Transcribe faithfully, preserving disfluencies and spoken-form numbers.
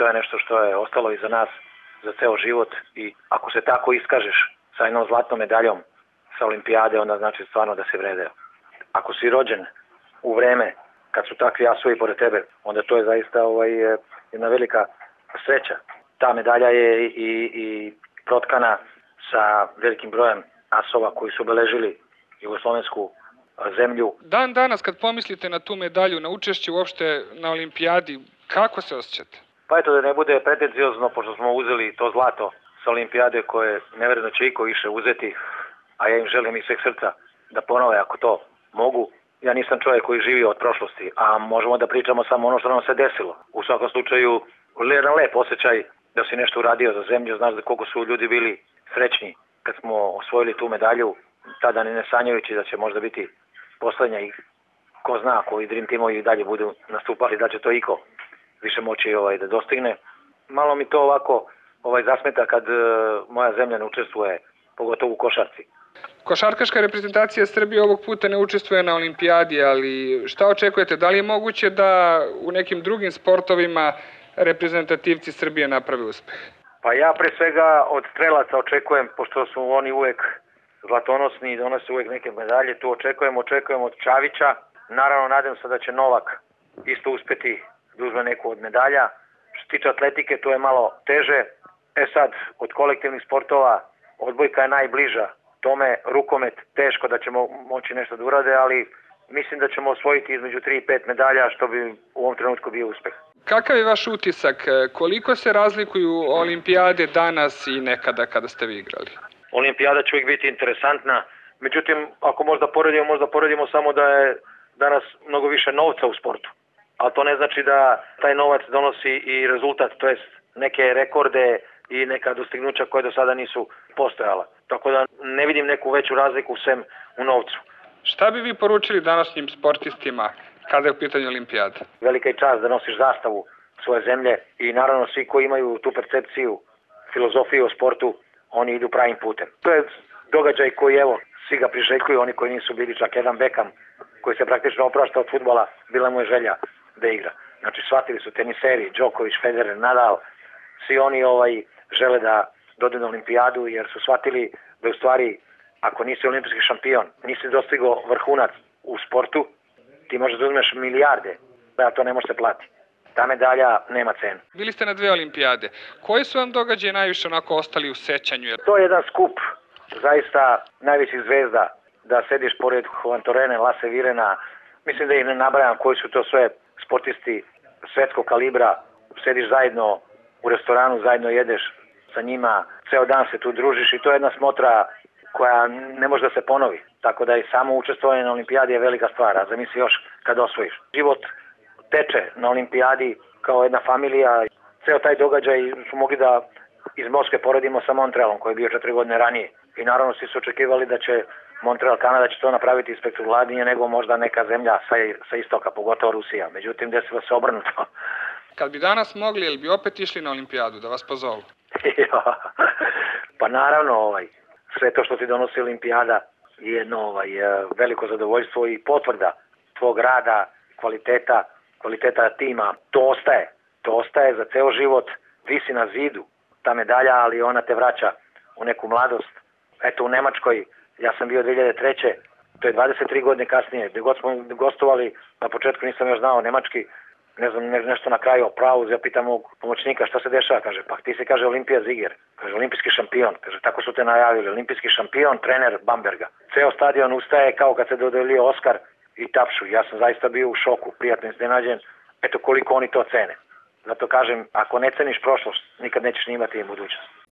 to je nešto što je ostalo iza nas za ceo život i ako se tako iskažeš sa jednom zlatnom medaljom sa olimpijade, onda znači stvarno da se vredeo. Ako si rođen u vreme kad su takvi asovi pored tebe, onda to je zaista ovaj, jedna velika sreća. Ta medalja je i, i protkana sa velikim brojem asova koji su obeležili jugoslovensku zemlju. Dan danas kad pomislite na tu medalju, na učešće uopšte na olimpijadi, kako se osjećate? Pa eto da ne bude pretenciozno, pošto smo uzeli to zlato sa olimpijade koje nevjerojatno će iko više uzeti, a ja im želim iz sveg srca da ponove ako to mogu. Ja nisam čovjek koji živi od prošlosti, a možemo da pričamo samo ono što nam se desilo. U svakom slučaju, jedan lep osjećaj da si nešto uradio za zemlju, znaš da koliko su ljudi bili srećni kad smo osvojili tu medalju, tada ne sanjajući da će možda biti poslednja i ko zna ako i Dream Teamovi i dalje budu nastupali, da će to iko više moći ovaj, da dostigne. Malo mi to ovako ovaj, zasmeta kad uh, moja zemlja ne učestvuje, pogotovo u košarci. Košarkaška reprezentacija Srbije ovog puta ne učestvuje na olimpijadi, ali šta očekujete? Da li je moguće da u nekim drugim sportovima reprezentativci Srbije naprave uspeh? Pa ja pre svega od strelaca očekujem, pošto su oni uvek zlatonosni i donose uvek neke medalje, tu očekujem, očekujem od Čavića. Naravno, nadam se da će Novak isto uspeti da uzme neku od medalja. Što se tiče atletike, to je malo teže. E sad, od kolektivnih sportova, odbojka je najbliža tome, rukomet teško da ćemo moći nešto da urade, ali mislim da ćemo osvojiti između tri i pet medalja, što bi u ovom trenutku bio uspeh. Kakav je vaš utisak? Koliko se razlikuju olimpijade danas i nekada kada ste vi igrali? Olimpijada će uvijek biti interesantna, međutim, ako možda poredimo, možda poredimo samo da je danas mnogo više novca u sportu. Ali to ne znači da taj novac donosi i rezultat, to jest neke rekorde i neka dostignuća koje do sada nisu postojala. Tako da ne vidim neku veću razliku sem u novcu. Šta bi vi poručili današnjim sportistima kada je u pitanju olimpijada? Velika je čast da nosiš zastavu svoje zemlje i naravno svi koji imaju tu percepciju, filozofiju o sportu, oni idu pravim putem. To je događaj koji, evo, svi ga priželjkuju, oni koji nisu bili, čak jedan Beckham, koji se praktično oprašta od fudbala, bila mu je želja da igra. Znači, shvatili su teniseri, Đoković, Federer, Nadal, svi oni ovaj, žele da dođu na olimpijadu, jer su shvatili da u stvari, ako nisi olimpijski šampion, nisi dostigao vrhunac u sportu, ti možeš da uzmeš milijarde, da to ne može se plati. Ta medalja nema cenu. Bili ste na dve olimpijade. Koji su vam događaje najviše onako ostali u sećanju? To je jedan skup zaista najvećih zvezda, da sediš pored Juan Torene, Lasse Virena, mislim da ih ne nabrajam koji su to sve sportisti svetskog kalibra, sediš zajedno u restoranu, zajedno jedeš sa njima, ceo dan se tu družiš i to je jedna smotra koja ne može da se ponovi. Tako da i samo učestvovanje na olimpijadi je velika stvar, a zamisli još kad osvojiš. Život teče na olimpijadi kao jedna familija. Ceo taj događaj su mogli da iz Moskve poredimo sa Montrealom koji je bio četiri godine ranije. I naravno svi su očekivali da će Montreal, Kanada će to napraviti spektakularnije nego možda neka zemlja sa, sa istoka, pogotovo Rusija. Međutim, desilo se obrnuto. Kad bi danas mogli, ili bi opet išli na olimpijadu da vas pozovu? Pa naravno, ovaj, sve to što ti donosi olimpijada je jedno ovaj, veliko zadovoljstvo i potvrda tvog rada, kvaliteta, kvaliteta tima. To ostaje. To ostaje za ceo život. Visi na zidu ta medalja, ali ona te vraća u neku mladost. Eto, u Nemačkoj, ja sam bio dve hiljade treće. To je dvadeset tri godine kasnije. Gde god smo gostovali, na početku nisam još znao nemački, ne znam, ne, nešto na kraju o pravu, ja pitam mog pomoćnika šta se dešava, kaže, pa ti se kaže Olimpija Ziger, kaže olimpijski šampion, kaže, tako su te najavili, olimpijski šampion, trener Bamberga. Ceo stadion ustaje kao kad se dodelio Oskar i tapšu. Ja sam zaista bio u šoku, prijatno iznenađen, eto koliko oni to cene. Zato kažem, ako ne ceniš prošlost, nikad nećeš ni imati budućnost.